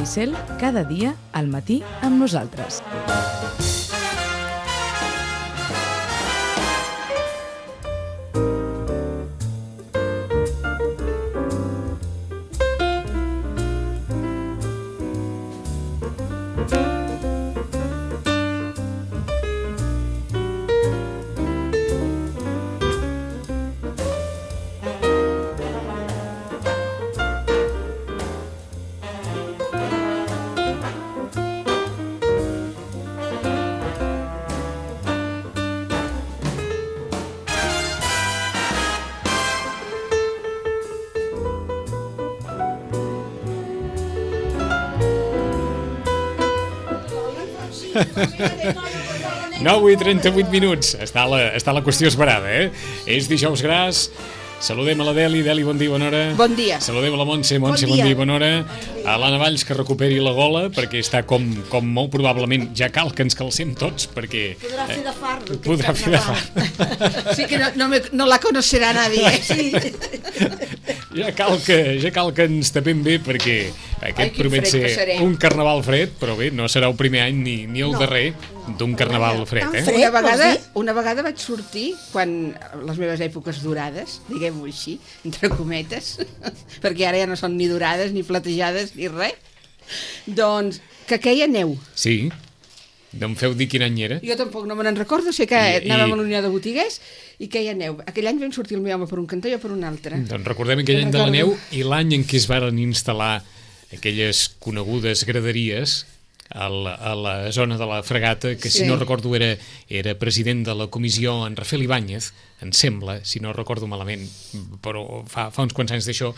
Maricel, cada dia al matí amb nosaltres. Nou i 38 minuts. Està la qüestió esperada, eh? És dijous gras. Saludem a la Deli. Deli, bon dia, bona hora. Bon dia. Saludem a la Montse. Montse, bon dia, bona hora. A l'Anna Valls, que recuperi la gola, perquè està com molt probablement. Ja cal que ens calcem tots, perquè... Podrà fer de far. Podrà fer de far. Sí que no la conocerà nadie. Sí. Ja cal que ens tapem bé, perquè aquest promet ser un carnaval fred, però bé, no serà el primer any ni el darrer d'un carnaval fred, eh? Una vegada vaig sortir, quan les meves èpoques dorades, diguem-ho així, entre cometes, perquè ara ja no són ni dorades, ni platejades, ni res, doncs que queia neu. Sí. No em feu dir quin any era? Jo tampoc no me n'en recordo, sé que anàvem a l'Unió de Botiguers i queia neu. Aquell any vam sortir el meu home per un cantó i jo per un altre. Doncs recordem aquell any de la neu i l'any en què es varen instal·lar aquelles conegudes graderies a la zona de la Fregata, que si no recordo era president de la comissió en Rafael Ibáñez, em sembla, si no recordo malament, però fa uns quants anys d'això,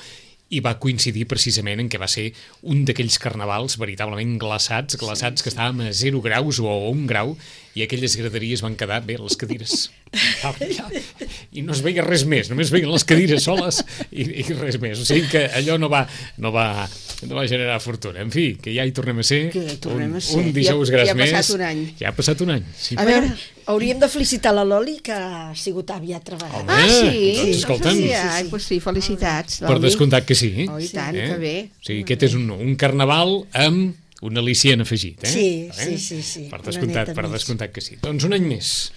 i va coincidir precisament en què va ser un d'aquells carnavals veritablement glaçats que estàvem a 0 graus o a 1 grau, i aquelles graderies van quedar, bé, les cadires. I no es veia res més, només veien les cadires soles i res més. O sigui que allò no va generar fortuna. En fi, que ja hi tornem a ser. Un dijous gras més. Ja ha passat un any. Ja ha passat un any. Sí. A veure, hauríem de felicitar la Loli, que ha sigut àvia treballant. Sí? Doncs escolta'm. Doncs sí, felicitats. Per descomptat que sí. Oh, i tant, que bé. O sigui, aquest és un carnaval amb un al·licient afegit, eh? Sí. Per descomptat que sí. Doncs un any més.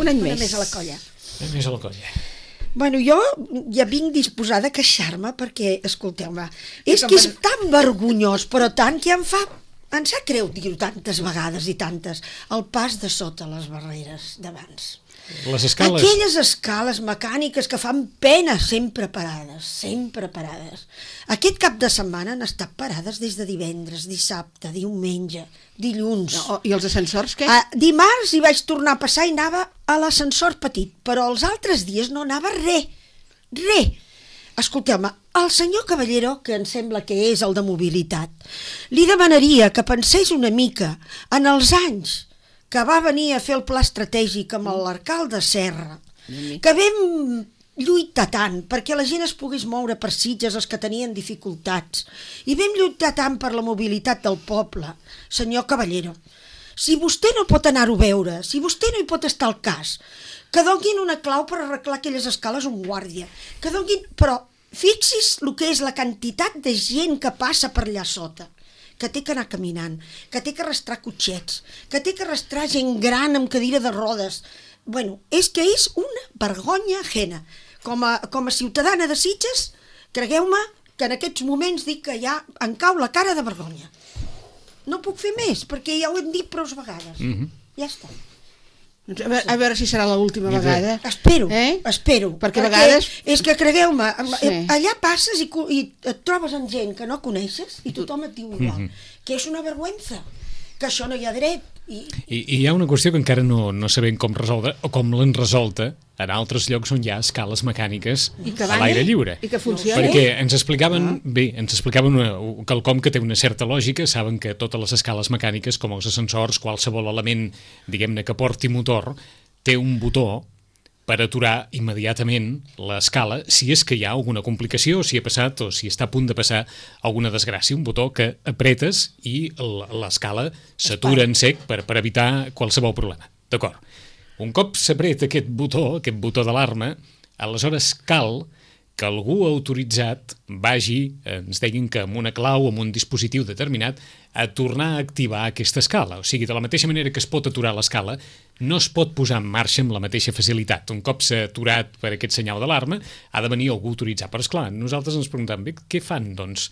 Un any més a la colla. Un any més a la colla. Bueno, jo ja vinc disposada a queixar-me perquè, escolteu-me, és que és tan vergonyós, però tant que em sap greu dir-ho tantes vegades i tantes, el pas de sota les barreres d'abans. Les escales... Aquelles escales mecàniques que fan pena, sempre parades. Aquest cap de setmana han estat parades des de divendres, dissabte, diumenge, dilluns. I els ascensors, què? Dimarts hi vaig tornar a passar i anava a l'ascensor petit, però els altres dies no anava res. Escolteu-me, al senyor Caballero, que em sembla que és el de mobilitat, li demanaria que pensés una mica en els anys que va venir a fer el pla estratègic amb l'alcalde Serra, que vam lluitar tant perquè la gent es pogués moure per Sitges, els que tenien dificultats, i vam lluitar tant per la mobilitat del poble. Senyor Caballero, si vostè no pot anar-ho a veure, si vostè no hi pot estar al cas, que donin una clau per arreglar aquelles escales un guàrdia, però fixi's el que és la quantitat de gent que passa per allà sota, que té que anar caminant, que té que arrastrar cotxets, que té que arrastrar gent gran amb cadira de rodes. Bueno, és que és una vergonya ajena. Com a ciutadana de Sitges, cregueu-me que en aquests moments dic que ja em cau la cara de vergonya. No puc fer més, perquè ja ho hem dit prou vegades. Ja està. A veure si serà l'última vegada. Espero. Perquè a vegades... És que, cregueu-me, allà passes i et trobes amb gent que no coneixes i tothom et diu igual. Que és una vergüenza, que això no hi ha dret. I hi ha una qüestió que encara no sabem com resoldre, o com l'han resolta en altres llocs on hi ha escales mecàniques a l'aire lliure. I que funciona. Perquè ens explicaven quelcom que té una certa lògica. Saben que totes les escales mecàniques, com els ascensors, qualsevol element, diguem-ne, que porti motor, té un botó per aturar immediatament l'escala si és que hi ha alguna complicació, si ha passat o si està a punt de passar alguna desgràcia, un botó que apretes i l'escala s'atura en sec per evitar qualsevol problema. D'acord. Un cop s'apreta aquest botó d'alarma, aleshores cal que algú autoritzat vagi, ens deguin que amb una clau, amb un dispositiu determinat, a tornar a activar aquesta escala. O sigui, de la mateixa manera que es pot aturar l'escala, no es pot posar en marxa amb la mateixa facilitat. Un cop s'ha aturat per aquest senyal d'alarma, ha de venir algú autoritzat. Però, esclar, nosaltres ens preguntem, què fan, doncs,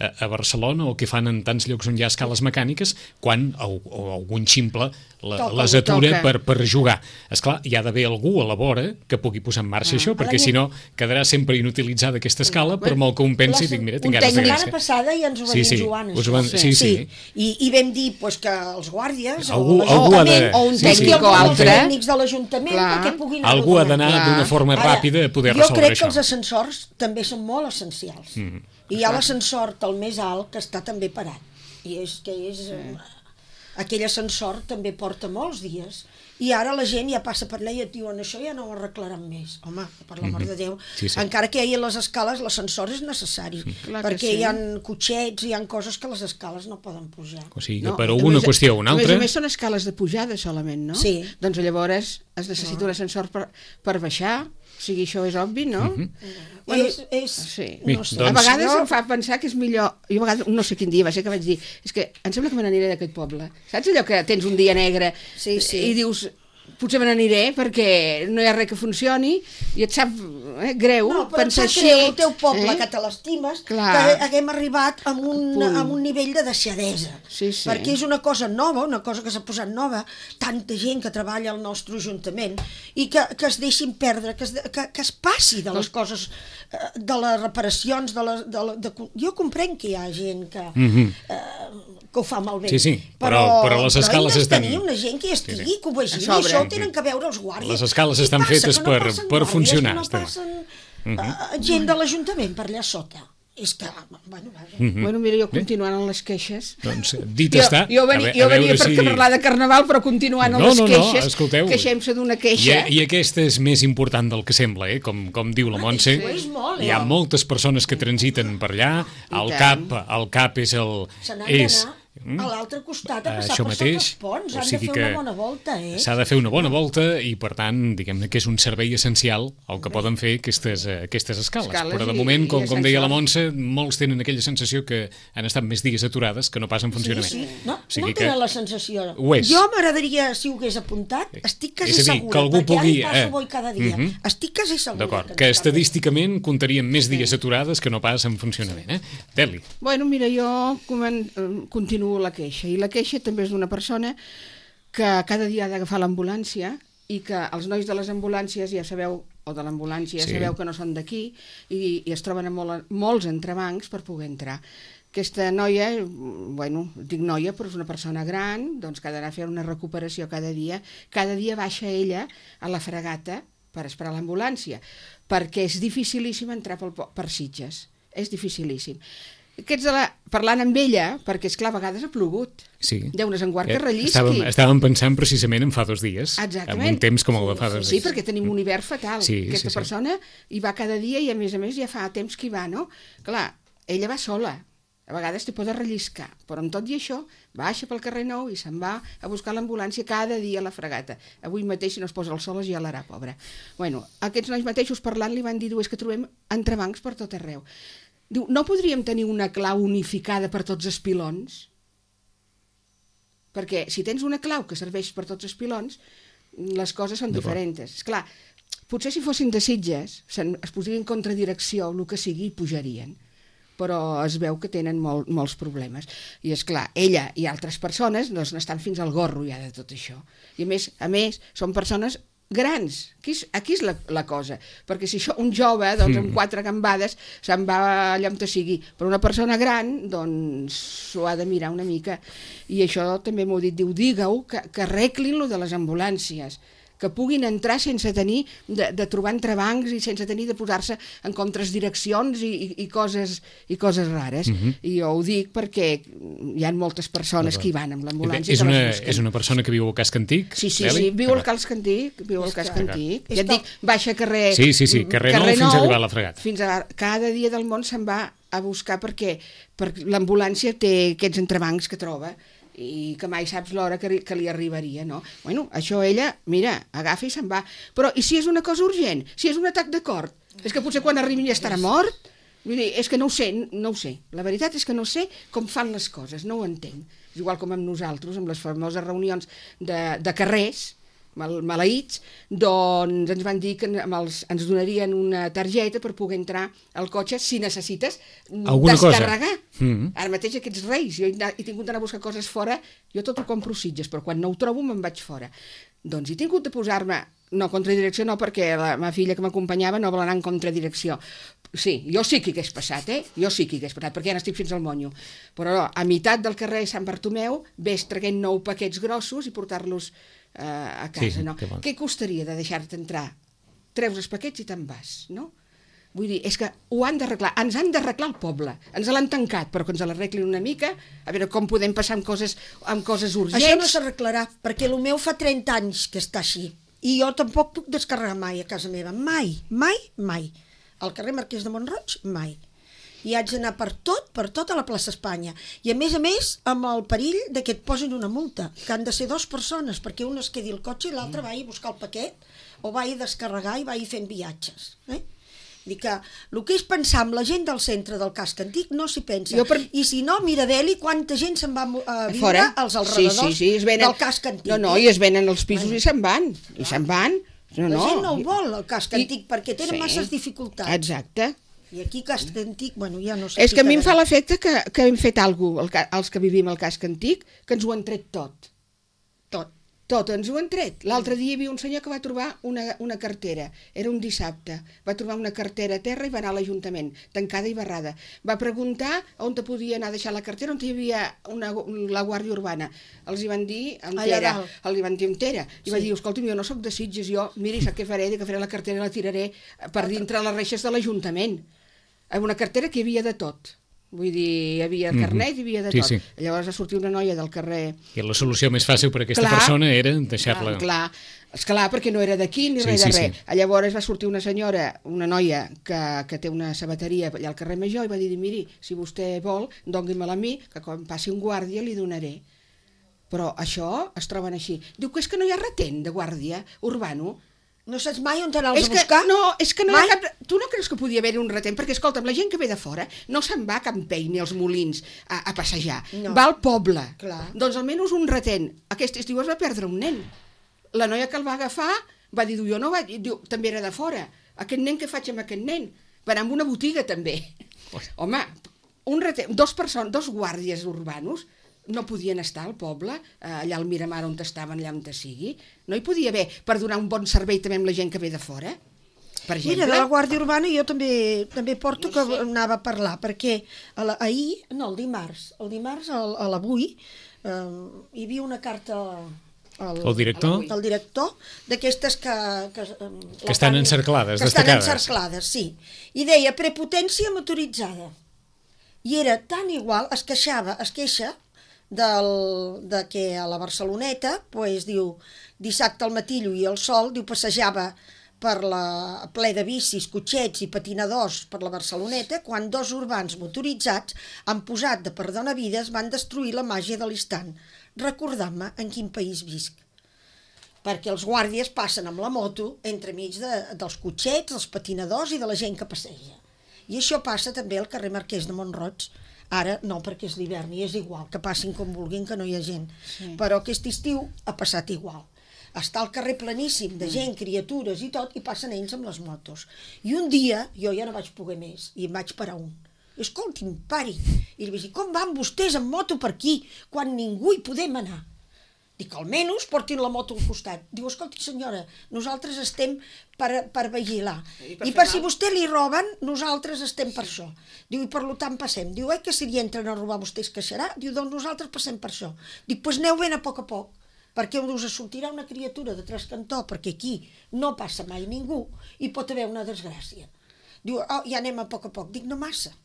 a Barcelona o què fan en tants llocs on hi ha escales mecàniques quan algun ximple les atura per jugar. Esclar, hi ha d'haver algú a la vora que pugui posar en marxa això, perquè si no quedarà sempre inutilitzada aquesta escala, per molt que un pensi, dic, mira, tinc ganes de gràcia. La passada ja ens ho va dir Joan. Sí. I vam dir que els guàrdies o un tècnic o altre, els tècnics de l'Ajuntament, perquè puguin... Algú ha d'anar d'una forma ràpida a poder resoldre això. Jo crec que els ascensors també són molt essencials. I hi ha l'ascensor el més alt que està també parat. I és que aquell ascensor també porta molts dies. I ara la gent ja passa per allà i et diuen això ja no ho arreglaran més. Home, per l'amor de Déu. Encara que hi ha les escales, l'ascensor és necessari. Perquè hi ha cotxets, hi ha coses que les escales no poden pujar. O sigui, que per alguna qüestió o una altra... A més són escales de pujada solament, no? Sí. Doncs llavors es necessita un ascensor per baixar. O sigui, això és obvi, no? Bueno, no sé. A vegades em fa pensar que és millor... Jo a vegades, no sé quin dia va ser que vaig dir, és que em sembla que me n'aniré d'aquest poble. Saps allò que tens un dia negre i dius, potser me n'aniré perquè no hi ha res que funcioni i et sap greu pensar així. No, però el teu poble, que te l'estimes, que haguem arribat a un nivell de deixadesa. Perquè és una cosa nova, una cosa que s'ha posat nova, tanta gent que treballa al nostre Ajuntament, i que es deixin perdre, que es passi de les coses, de les reparacions, jo comprenc que hi ha gent que ho fa malbé. Sí, però les escales estan... Però hem de tenir una gent que hi estigui, que ho vegi, i això tenen que veure els guàrdies. Les escales estan fetes per funcionar. No passen gent de l'Ajuntament per allà sota. És que, bueno, mira, jo continuant amb les queixes... Doncs dit està... Jo venia per parlar de Carnaval, però continuant amb les queixes, queixem-se d'una queixa... I aquesta és més important del que sembla, com diu la Montse. Hi ha moltes persones que transiten per allà, el CAP és el... Se n'han d'anar a l'altre costat a passar per sota els ponts. Han de fer una bona volta, S'ha de fer una bona volta i, per tant, diguem-ne que és un servei essencial el que poden fer aquestes escales. Però, de moment, com deia la Montse, molts tenen aquella sensació que han estat més dies aturades que no pas en funcionament. No tenen la sensació. Ho és. Jo m'agradaria, si ho hagués apuntat, estic quasi segura, perquè ara hi passo bo cada dia. Estic quasi segura. D'acord, que estadísticament comptaríem més dies aturades que no pas en funcionament. Deli. Bueno, mira, jo continuo la queixa, i la queixa també és d'una persona que cada dia ha d'agafar l'ambulància i que els nois de les ambulàncies, ja sabeu, o de l'ambulància, sabeu que no són d'aquí i es troben a molts entrebancs per poder entrar. Aquesta noia, bueno, dic noia, però és una persona gran, doncs que ha d'anar a fer una recuperació cada dia baixa ella a la Fragata per esperar l'ambulància, perquè és dificilíssim entrar per Sitges, és dificilíssim. Parlant amb ella, perquè és clar, a vegades ha plogut. Déu-nos en guard que rellisqui. Estàvem pensant precisament en fa 2 dies. Exactament. En un temps com el de fa 2 dies. Sí, perquè tenim un hivern fatal. Aquesta persona hi va cada dia i a més ja fa temps que hi va, no? Clar, ella va sola. A vegades té por de relliscar, però amb tot i això baixa pel carrer Nou i se'n va a buscar l'ambulància cada dia a la Fragata. Avui mateix, si no es posa el sol, es gelarà, pobra. Bueno, aquests nois mateixos parlant li van dir, és que trobem entrebancs per tot arreu. Diu, no podríem tenir una clau unificada per tots els pilons? Perquè si tens una clau que serveix per tots els pilons, les coses són diferents. Esclar, potser si fossin de Sitges, es posarien en contradirecció, el que sigui, i pujarien. Però es veu que tenen molts problemes. I és clar, ella i altres persones n'estan fins al gorro ja de tot això. I a més, són persones grans. Aquí és la cosa. Perquè si un jove, doncs, amb 4 gambades, se'n va allà on sigui. Però una persona gran, doncs, s'ho ha de mirar una mica. I això també m'ho dit, digue-ho, que arreglin lo de les ambulàncies, que puguin entrar sense tenir de trobar entrebancs i sense tenir de posar-se en contradireccions i coses rares. I jo ho dic perquè hi ha moltes persones que hi van amb l'ambulància. És una persona que viu al casc antic? Sí, viu al casc antic. Ja et dic, baixa carrer... Sí, carrer Nou fins a arribar a la Fragata. Cada dia del món se'n va a buscar perquè l'ambulància té aquests entrebancs que troba i que mai saps l'hora que li arribaria, no? Bueno, això ella, mira, agafa i se'n va. Però i si és una cosa urgent? Si és un atac de cor? És que potser quan arribi ja estarà mort. Vull dir, és que no ho sé. La veritat és que no sé com fan les coses, no ho entenc. És igual com amb nosaltres, amb les famoses reunions de carrers, maleïts, doncs ens van dir que ens donarien una targeta per poder entrar al cotxe si necessites descarregar. Ara mateix aquests reis, jo he tingut d'anar a buscar coses fora, jo tot ho compro Sitges, però quan no ho trobo me'n vaig fora. Doncs he tingut de posar-me, no, contradirecció no, perquè la meva filla que m'acompanyava no vol anar en contradirecció. Sí, jo sí que hi hagués passat, jo sí que hi hagués passat, perquè ja n'estic fins al monyo. Però a meitat del carrer Sant Bartomeu ves traient 9 paquets grossos i portar-los a casa, no? Què costaria de deixar-te entrar? Treus els paquets i te'n vas, no? Vull dir, és que ho han d'arreglar, ens han d'arreglar el poble, ens l'han tancat, però que ens l'arreglin una mica, a veure com podem passar amb coses urgents. Això no s'arreglarà, perquè el meu fa 30 anys que està així, i jo tampoc puc descarregar mai a casa meva, mai. Al carrer Marquès de Mont-roig, mai. I haig d'anar per tot a la plaça Espanya. I a més, amb el perill de que et posin una multa, que han de ser 2 persones, perquè un es quedi al cotxe i l'altre va a buscar el paquet, o va a descarregar i va a fent viatges. Dic que el que és pensar amb la gent del centre del casc antic no s'hi pensa. I si no, mira d'Eli, quanta gent se'n va a viure als alrededors del casc antic. No, i es venen els pisos i se'n van. La gent no ho vol, el casc antic, perquè tenen masses dificultats. Exacte. I aquí casc antic, ja no sé... És que a mi em fa l'efecte que hem fet alguna cosa, els que vivim al casc antic, que ens ho han tret tot. Tot ens ho han tret. L'altre dia hi havia un senyor que va trobar una cartera, era un dissabte, va trobar una cartera a terra i va anar a l'Ajuntament, tancada i barrada. Va preguntar on te podia anar a deixar la cartera, on hi havia la Guàrdia Urbana. Els hi van dir entera. I va dir, escolta'm, jo no soc de Sitges, miri, sap què faré? Que faré la cartera i la tiraré per dintre les reixes de l'Ajuntament. Una cartera que hi havia de tot. Vull dir, hi havia carnet, hi havia de tot. Llavors va sortir una noia del carrer... I la solució més fàcil per a aquesta persona era deixar-la... Clar, perquè no era d'aquí ni res de res. Llavors va sortir una senyora, una noia que té una sabateria allà al carrer Major i va dir, miri, si vostè vol, doni-me-la a mi, que quan passi un guàrdia li donaré. Però això es troben així. Diu que és que no hi ha retent de guàrdia urbano. No saps mai on anar-los a buscar? És que no hi ha cap... Tu no creus que podia haver-hi un retent? Perquè, escolta'm, la gent que ve de fora no se'n va a Campell ni als Molins a passejar. Va al poble. Doncs almenys un retent. Aquest estiu es va perdre un nen. La noia que el va agafar va dir, jo no vaig... Diu, també era de fora. Aquest nen, què faig amb aquest nen? Va anar a una botiga, també. Home, un retent... 2 guàrdies urbanos no podien estar al poble, allà al Miramar on estaven, allà on sigui. No hi podia haver per donar un bon servei també amb la gent que ve de fora, per exemple. Mira, de la Guàrdia Urbana jo també porto que anava a parlar, perquè el dimarts a l'avui hi havia una carta el director d'aquestes que estan encerclades, destacades. Que estan encerclades, sí. I deia prepotència motoritzada. I era tan igual, es queixa de que a la Barceloneta, diu, dissabte al matí lluïa el sol, diu, passejava per la ple de bicis, cotxets i patinadors per la Barceloneta, quan 2 urbans motoritzats han posat de perdonavides van destruir la màgia de l'instant, recordant-me en quin país visc. Perquè els guàrdies passen amb la moto entremig dels cotxets, dels patinadors i de la gent que passeja. I això passa també al carrer Marquès de Mont-roig. Ara no, perquè és l'hivern i és igual, que passin com vulguin, que no hi ha gent. Però aquest estiu ha passat igual. Està el carrer planíssim de gent, criatures i tot, i passen ells amb les motos. I un dia, jo ja no vaig poder més, i em vaig parar un. Escolti'm, pari. I li vaig dir, com van vostès amb moto per aquí, quan ningú hi podem anar? Dic, almenys portin la moto al costat. Diu, escolti senyora, nosaltres estem per vigilar. I per si vostè li roben, nosaltres estem per això. Diu, i per tant passem. Diu, que si li entren a robar vostè es queixarà? Diu, doncs nosaltres passem per això. Dic, doncs aneu ben a poc, perquè us sortirà una criatura de trascantó, perquè aquí no passa mai ningú i pot haver una desgràcia. Diu, ja anem a poc. Dic, no massa.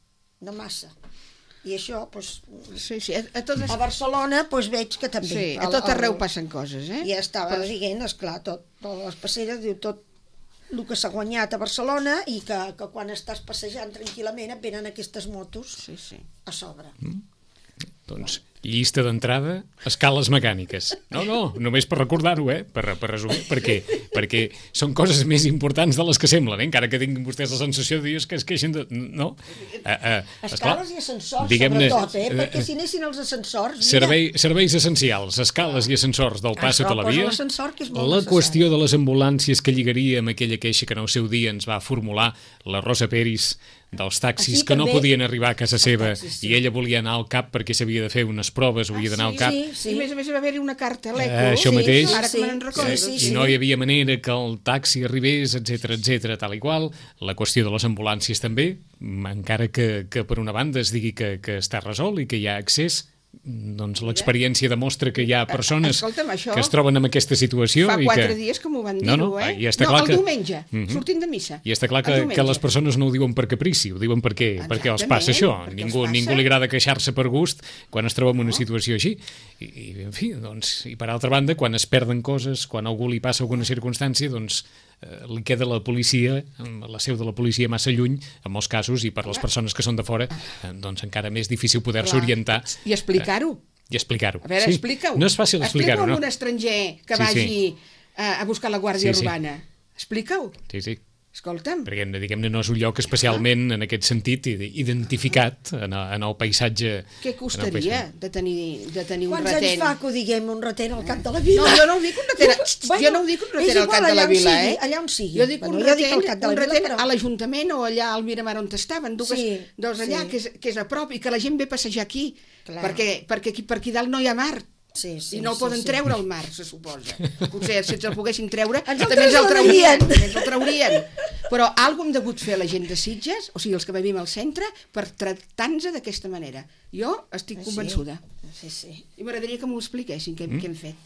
I això, a Barcelona veig que també. Sí, a tot arreu passen coses, I ja estava dient, esclar, tot les passeres, diu, tot el que s'ha guanyat a Barcelona i que quan estàs passejant tranquil·lament et venen aquestes motos a sobre. Doncs llista d'entrada, escales mecàniques. No, només per recordar-ho, per resumir, perquè són coses més importants de les que semblen, encara que tinguin vostès la sensació de dir que es queixen de... No. Escales i ascensors, sobretot, perquè si anessin els ascensors... Serveis essencials, escales i ascensors del pas sota la via. La Qüestió de les ambulàncies que lligaria amb aquella queixa que en el seu dia ens va formular la Rosa Peris dels taxis que no podien arribar a casa seva i ella volia anar al CAP perquè s'havia de fer unes proves, havia d'anar al CAP. Sí. I a més va haver-hi una carta a l'ECO. Això mateix. Ara que me'n recordo. I no hi havia manera que el taxi arribés, etc, tal i qual. La qüestió de les ambulàncies també, encara que per una banda es digui que està resolt i que hi ha accés, doncs l'experiència demostra que hi ha persones que es troben en aquesta situació. Fa 4 dies que m'ho van dir-ho, el diumenge, sortint de missa. I està clar que les persones no ho diuen per caprici, ho diuen perquè els passa això. Ningú li agrada queixar-se per gust quan es troba en una situació així. I en fi, doncs, i per altra banda, quan es perden coses, quan a algú li passa alguna circumstància, doncs li queda la policia, la seu de la policia massa lluny, en molts casos, i per les persones que són de fora, doncs encara més difícil poder-se orientar. I explicar-ho. A veure, explica-ho. No és fàcil explicar-ho, no? Explica-ho a un estranger que vagi a buscar la Guàrdia Urbana. Explica-ho. Sí. Escolta'm. Perquè, diguem-ne, no és un lloc especialment, en aquest sentit, identificat en el paisatge. Què costaria de tenir un retent? Quants anys fa que ho diguem, un retent al cap de la vila? No, jo no ho dic un retent al cap de la vila, allà on sigui. Jo dic un retent a l'Ajuntament o allà al Miramar on estaven, dos allà, que és a prop i que la gent ve a passejar aquí, perquè per aquí dalt no hi ha mar. I no el poden treure al mar, se suposa. Potser si ens el poguessin treure també ens el traurien. Però alguna hem degut fer a la gent de Sitges, o sigui, els que vivim al centre, per tractar-nos d'aquesta manera. Jo estic convençuda. I m'agradaria que m'ho expliquessin, què hem fet.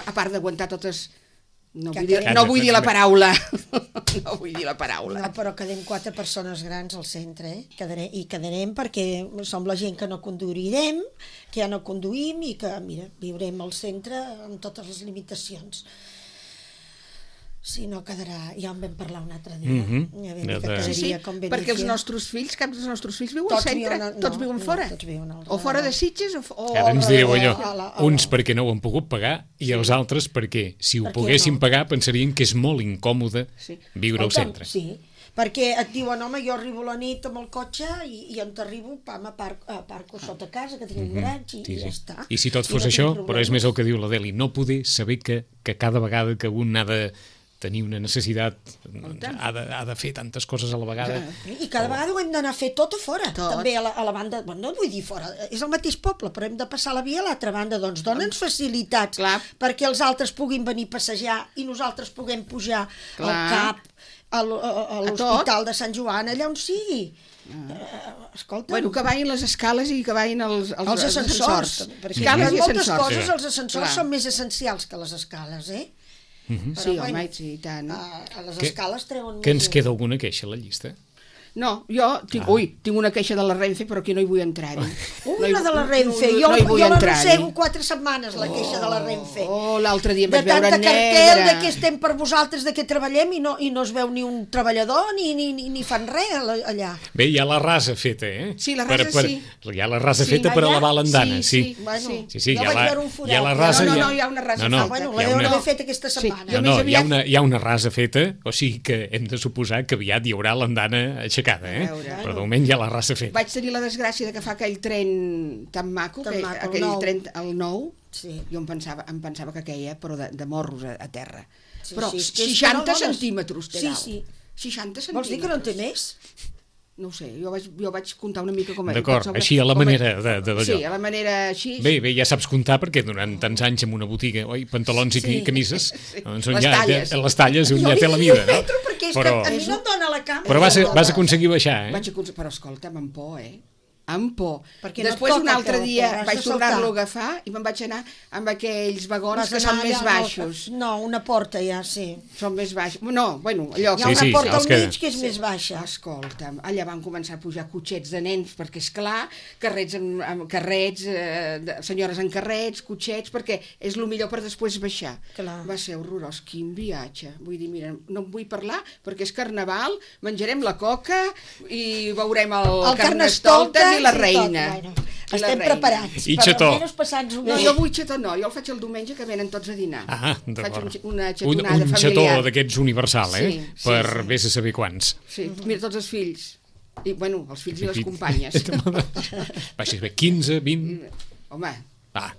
A part d'aguantar totes... No vull dir la paraula. No vull dir la paraula. No, però quedem 4 persones grans al centre, i quedarem perquè som la gent que no conduirem, que ja no conduïm i que, mira, viurem al centre amb totes les limitacions. Si no quedarà, ja en vam parlar un altre dia. Perquè els nostres fills, cap dels nostres fills viuen al centre, tots viuen fora. O fora de Sitges o... Ara ens direu allò, uns perquè no ho han pogut pagar i els altres perquè, si ho poguessin pagar, pensarien que és molt incòmode viure al centre. Sí, perquè et diuen, home, jo arribo a la nit amb el cotxe i on t'arribo, aparco sota casa, que tinc un garatge i ja està. I si tot fos això, però és més el que diu la Deli, no poder saber que cada vegada que un ha de tenir una necessitat, ha de fer tantes coses a la vegada. I cada vegada ho hem d'anar a fer tot a fora, també a la banda, no vull dir fora, és el mateix poble, però hem de passar la via a l'altra banda, doncs dona'ns facilitats perquè els altres puguin venir a passejar i nosaltres puguem pujar al CAP, a l'Hospital de Sant Joan, allà on sigui. Escolta, que vagin les escales i que vagin els ascensors, perquè en moltes coses els ascensors són més essencials que les escales, Sí, home, i tant. A les escales treuen més... Que ens queda alguna queixa a la llista? No, jo tinc una queixa de la Renfe, però aquí no hi vull entrar-hi. La de la Renfe, jo l'arrossego 4 setmanes, la queixa de la Renfe. L'altre dia em vaig veure negra. De tanta cartel, de què estem per vosaltres, de què treballem, i no es veu ni un treballador, ni fan res allà. Bé, hi ha la rasa feta, Sí, la rasa sí. Hi ha la rasa feta per elevar l'andana, sí. Sí, hi ha la rasa... No, hi ha una rasa feta. Bueno, la deuen haver fet aquesta setmana. No, hi ha una rasa feta, o sigui que hem de suposar que aviat hi haurà l'andana aixecada, però de moment hi ha la rasa feta. Vaig tenir la desgràcia de que fa aquell tren tan maco, aquell tren, el nou, jo em pensava que queia, però de morros a terra. Però 60 centímetres té dalt. 60 centímetres. Vols dir que no en té més? No ho sé, jo vaig comptar una mica com era. D'acord, així a la manera d'allò. Sí, a la manera així. Bé, ja saps comptar perquè durant tants anys en una botiga, pantalons i camises, les talles, un ja té la mida, no? Perquè és que a mi no em dona la cama. Però vas aconseguir baixar, Però escolta'm, amb por, amb por. Després un altre dia vaig tornar-lo a agafar i me'n vaig anar amb aquells vagons que són més baixos. No, una porta ja, sí. Són més baixos. No, bueno, allò... Hi ha una porta al mig que és més baixa. Escolta'm, allà van començar a pujar cotxets de nens, perquè és clar, carrets, senyores en carrets, cotxets, perquè és el millor per després baixar. Va ser horrorós, quin viatge. Vull dir, mira, no en vull parlar perquè és carnaval, menjarem la coca i veurem el Carnestoltes i la reina. Estem preparats. I xató. Per almenys passar-nos un No, jo vull xató no, jo el faig el diumenge que venen tots a dinar. D'acord. Faig una xatonada un familiar. xató d'aquests universal, Sí, sí, per sí. vés a saber quants. Sí, mira, tots els fills. I, bueno, els fills i les companyes. Baixes bé, 15, 20... Home, Ah,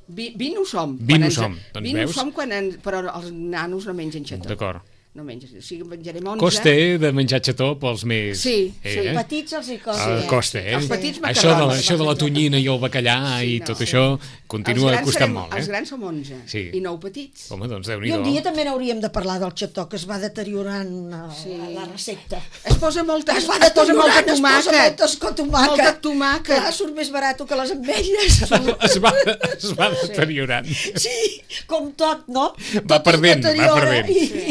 20 ho som. 20 ho som, doncs 20 ho veus? som però els nanos no mengen xató. d'acord. No mengen, o sigui, menjarem 11. Costa, de menjar xató pels més... Sí, sí. Petits els hi costa. Costa, Els petits Això macarrons. això de la tonyina i el bacallà i tot això continua costant molt, Els grans som 11 Sí. i 9 petits. Home, doncs I un Déu-n'hi-do. dia també n'hauríem de parlar del xató, que es va deteriorant la recepta. Es posa molta, Es va es posa molta deteriorant, tomàquet. es posa tomàquet. Molta tomàquet. Clar, surt més barat que les ametlles. Es va deteriorant. Sí, com tot, no? Va Tot es perdent, deteriora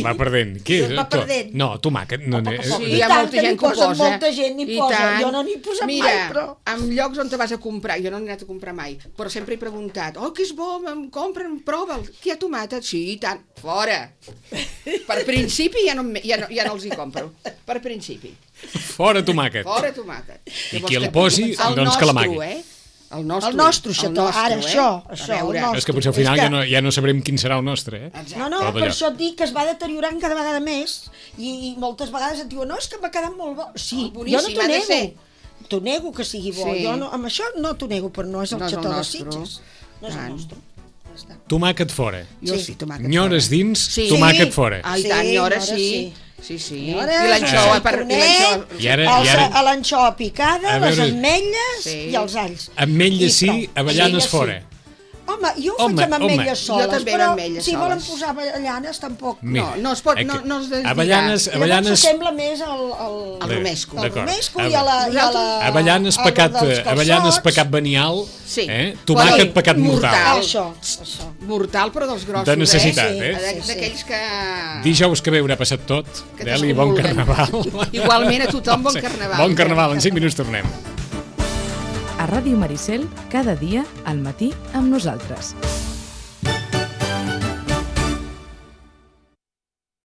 va perdent. Què és? Va perdent. No, tomàquet. No, Sí, I hi ha tant, molta que gent n'hi que ho posa, posa. molta gent n'hi I posa. tant. Jo no n'hi he posat Mira, mai, però... en llocs on te vas a comprar, jo no n'he anat a comprar mai, però sempre he preguntat, oh, que és bo, em compren, prova'l, que hi ha tomàquet? Sí, i tant, fora. Per principi ja no els hi compro, per principi. Fora tomàquet. Fora tomàquet. I qui el posi, doncs que l'amagui. El nostre, El nostre xató, ara, això, A veure. el nostre. És que potser al final ja no sabrem quin serà el nostre, No, Però per d'allò. això et dic que es va deteriorant cada vegada més i moltes vegades et diuen, no, és que m'ha quedat molt bo. Sí, jo no boníssim, t'ho ha de nego. ser. T'ho nego que sigui bo. Sí. Jo no, amb això no t'ho nego, però no és el No és el xató de nostre. Sitges. No és el Tant. nostre. Ja està. Tomàquet fora. Jo Sí. sí, tomàquet Nyores fora. dins, Sí. tomàquet fora. Ah, i tant, Sí, nyora nyora sí. sí. Sí, sí. Nyores, I l'anxova, tornet, I ara- a l'anxova picada, A veure- les ametlles Sí. i els alls. Ametlles I sí, prou. avellanes Ametlles fora. Home, jo ho Home, faig amb ametlles Jo soles, també amb però ametlles si volen soles. posar avellanes tampoc... Mira, no es pot, que no es desdirà. Avellanes, Llavors avellanes... s'assembla més al romesco. al D'acord. romesco i a la... Avellanes al pecat, dels calçots. avellanes pecat venial, Sí. tomàquet Però pecat mortal. Això. Mortal, però dels grossos, De necessitat, Sí. D'aquells que... Dijous que bé haurà passat tot, Que Deli, bon t'escomulen. carnaval. Igualment a tothom, bon carnaval. Bon carnaval, en 5 minuts tornem. A Ràdio Maricel, cada dia al matí amb nosaltres.